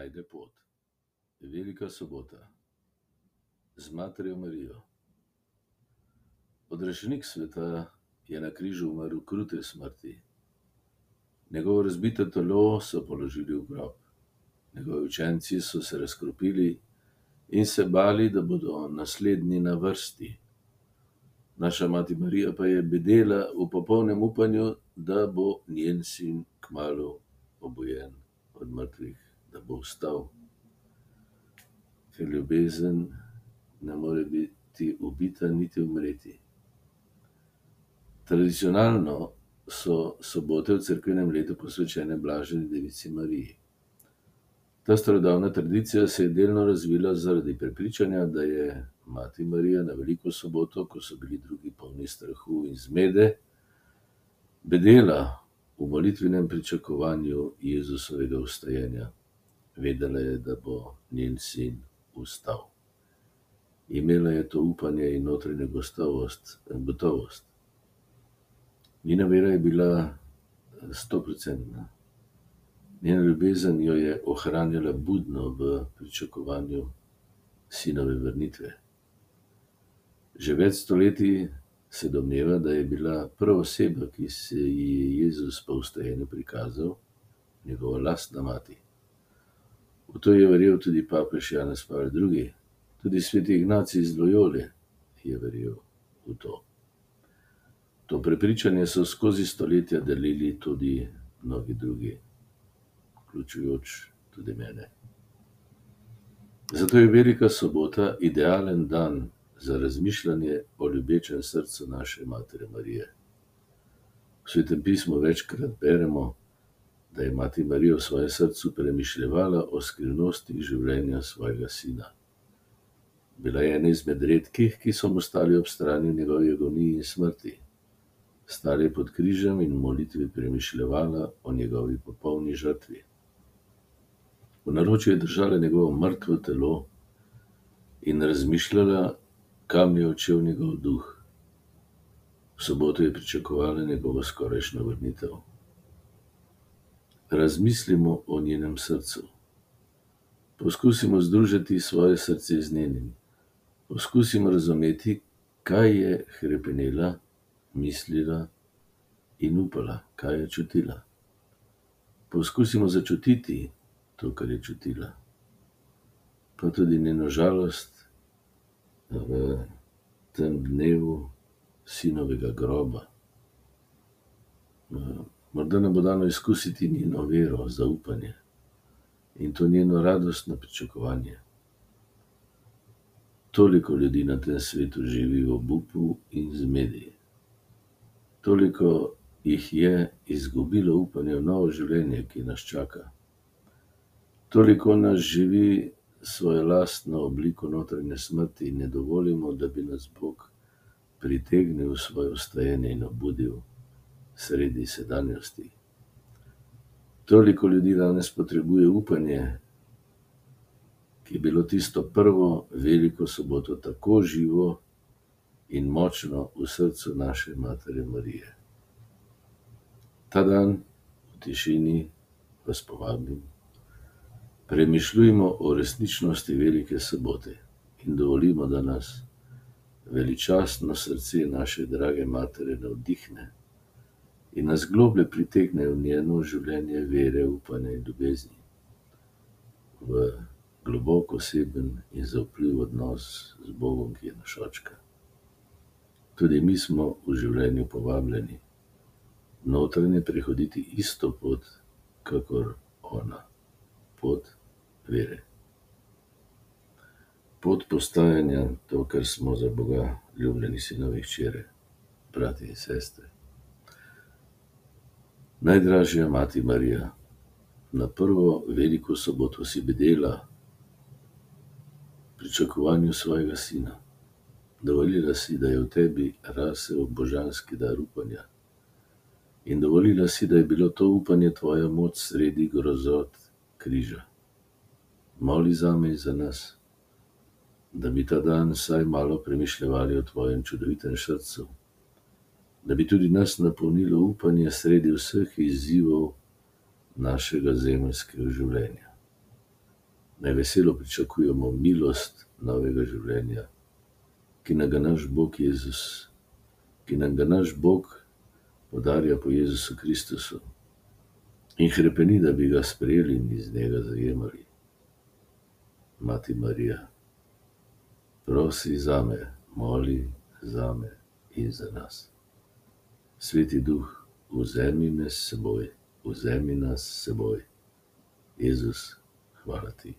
najde pot. Velika sobota z Materjo Marijo. Odrešenik sveta je na križu umrl krute smrti. Njegovo razbito telo so položili v grob. Njegovi učenci so se razkropili in se bali, da bodo naslednji na vrsti. Naša mati Marija pa je bedela v popolnem upanju, da bo njen sin kmalu obujen od mrtvih, da bo vstal. Ker ljubezen ne more biti ubita niti umreti. Tradicionalno so sobote v cerkvenem letu posvečene Blaženi devici Mariji. Ta starodavna tradicija se je delno razvila zaradi prepričanja, da je mati Marija na veliko soboto, ko so bili drugi polni strahu in zmede, bedela v molitvenem pričakovanju Jezusovega vstajenja. Vedela je, da bo njen sin vstal. Imela je to upanje in notranjo gotovost. Njena vera je bila 100%. Njena ljubezen jo je ohranjala budno v pričakovanju sinove vrnitve. Že več stoletij se domneva, da je bila prva oseba, ki se ji je Jezus po vstajenju prikazal, njegova lastna mati. V to je verjel tudi papež Janez Pavel II. Tudi sveti Ignacij iz Loyole je verjel v to. To prepričanje so skozi stoletja delili tudi mnogi drugi, vključujoč tudi mene. Zato je velika sobota idealen dan za razmišljanje o ljubečem srcu naše Matere Marije. V Svetem pismu večkrat beremo, da je mati Marija v svojem srcu premišljevala o skrivnostih življenja svojega sina. Bila je ena izmed redkih, ki so mu stali ob strani v njegovi agoniji in smrti. Stala je pod križem in v molitvi premišljevala o njegovi popolni žrtvi. V naročju je držala njegovo mrtvo telo in razmišljala, kam je odšel njegov duh. V soboto je pričakovala njegovo skorajšnjo vrnitev. Razmislimo o njenem srcu. Poskusimo združiti svoje srce z njenim. Poskusimo razumeti, kaj je hrepenela, mislila in upala, kaj je čutila. Poskusimo začutiti to, kar je čutila, pa tudi njeno žalost v tem dnevu sinovega groba. Morda nam bo dano izkusiti njeno vero, zaupanje in to njeno radostno pričakovanje. Toliko ljudi na tem svetu živi v obupu in zmedi. Toliko jih je izgubilo upanje v novo življenje, ki nas čaka. Toliko nas živi svojo lastno obliko notranje smrti in ne dovolimo, da bi nas Bog pritegnil v svoje vstajenje in obudil sredi sedanjosti. Toliko ljudi danes potrebuje upanje, ki je bilo tisto prvo veliko soboto tako živo in močno v srcu naše Matere Marije. Ta dan v tišini vas povabim, premišljujmo o resničnosti velike sobote in dovolimo, da nas veličastno srce naše drage Matere navdihne in nas globlje pritegne v njeno življenje vere, upanja in ljubezni, v globoko oseben in zaupljiv odnos z Bogom, ki je naš očka. Tudi mi smo v življenju povabljeni notranje prehoditi isto pot, kakor ona, pot vere. Pot postajanja, to, kar smo za Boga ljubljeni sinovi, hčere, brati in sestre. Najdražja mati Marija, na prvo veliko soboto si bedela v pričakovanju svojega sina. Dovolila si, da je v tebi rasel božanski dar upanja. In dovolila si, da je bilo to upanje tvoja moč sredi grozot križa. Moli zame in za nas, da bi ta dan vsaj malo premišljevali o tvojem čudovitem srcu, da bi tudi nas napolnilo upanje sredi vseh izzivov našega zemeljskega življenja. Naj veselo pričakujemo milost novega življenja, ki nam ga naš Bog podarja po Jezusu Kristusu in hrepeni, da bi ga sprejeli in iz njega zajemali. Mati Marija, prosi zame, moli zame in za nas. Sveti Duh, vzemi nas s seboj. Jezus, hvala ti.